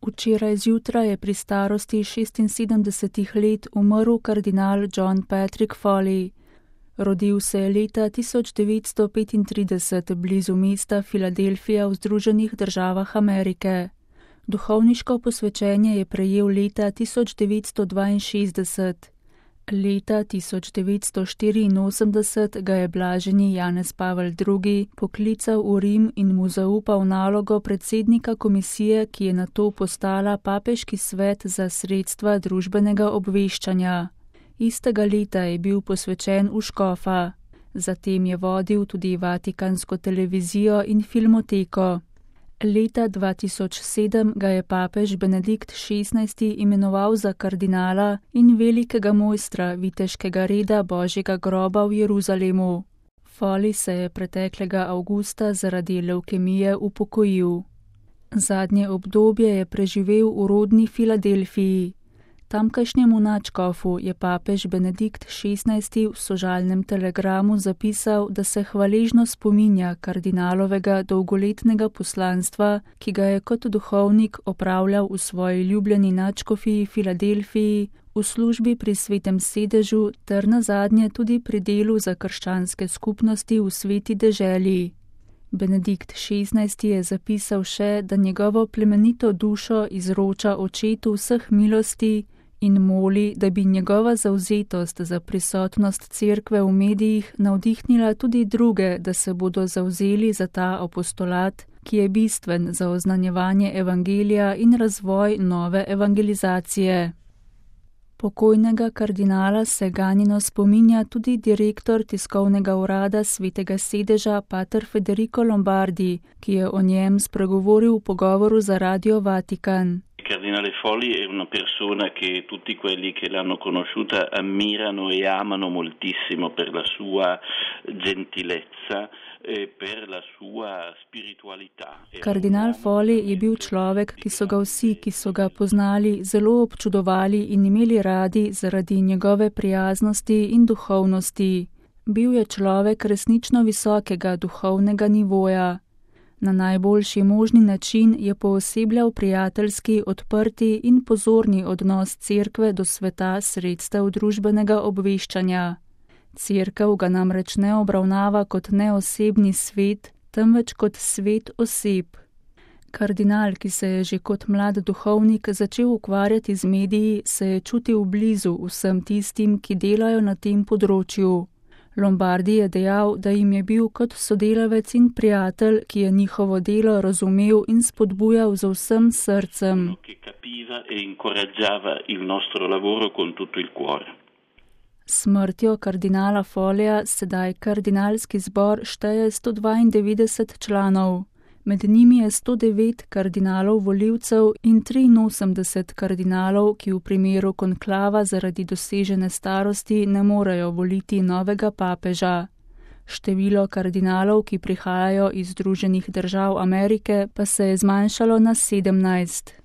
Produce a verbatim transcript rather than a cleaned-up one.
Včeraj zjutraj je pri starosti šestinsedemdesetih let umrl kardinal John Patrick Foley. Rodil se je leta tisoč devetsto petintrideset blizu mesta Filadelfija v Združenih državah Amerike. Duhovniško posvečenje je prejel leta tisoč devetsto dvainšestdeset. Leta tisoč devetsto štiriinosemdeset ga je blaženi Janez Pavel drugi poklical v Rim in mu zaupal nalogo predsednika komisije, ki je nato postala Papeški svet za sredstva družbenega obveščanja. Istega leta je bil posvečen v škofa. Zatem je vodil tudi Vatikansko televizijo in filmoteko. Leta dva tisoč sedem ga je papež Benedikt šestnajsti imenoval za kardinala in velikega mojstra viteškega reda Božjega groba v Jeruzalemu. Foley se je preteklega avgusta zaradi levkemije upokojil. Zadnje obdobje je preživel v rodni Filadelfiji. Tamkajšnjemu nadškofu je papež Benedikt šestnajsti v sožalnem telegramu zapisal, da se hvaležno spominja kardinalovega dolgoletnega poslanstva, ki ga je kot duhovnik opravljal v svoji ljubljeni nadškofiji Filadelfiji, v službi pri Svetem sedežu ter nazadnje tudi pri delu za krščanske skupnosti v Sveti deželi. Benedikt šestnajsti je zapisal še, da njegovo plemenito dušo izroča očetu vseh milosti in moli, da bi njegova zavzetost za prisotnost cerkve v medijih navdihnila tudi druge, da se bodo zavzeli za ta apostolat, ki je bistven za oznanjevanje evangelija in razvoj nove evangelizacije. Pokojnega kardinala se ganjeno spominja tudi direktor tiskovnega urada Svetega sedeža pater Federico Lombardi, ki je o njem spregovoril v pogovoru za Radio Vatikan. Cardinale Foley è una persona che tutti quelli che l'hanno conosciuta ammirano e amano moltissimo per la sua gentilezza e per la sua spiritualità. Kardinal Foley je bil človek, ki so ga vsi, ki so ga poznali, zelo občudovali in imeli radi zaradi njegove prijaznosti in duhovnosti. Bil je človek resnično visokega duhovnega nivoja. Na najboljši možni način je poosebljal prijateljski, odprti in pozorni odnos cerkve do sveta sredstev družbenega obveščanja. Cerkev ga namreč ne obravnava kot neosebni svet, temveč kot svet oseb. Kardinal, ki se je že kot mlad duhovnik začel ukvarjati z mediji, se je čutil blizu vsem tistim, ki delajo na tem področju. Lombardi je dejal, da jim je bil kot sodelavec in prijatelj, ki je njihovo delo razumel in spodbujal z vsem srcem. Smrtjo kardinala Folleya sedaj kardinalski zbor šteje sto dvaindevetdeset članov. Med njimi je sto devet kardinalov volivcev in triinosemdeset kardinalov, ki v primeru konklava zaradi dosežene starosti ne morejo voliti novega papeža. Število kardinalov, ki prihajajo iz Združenih držav Amerike, pa se je zmanjšalo na sedemnajst.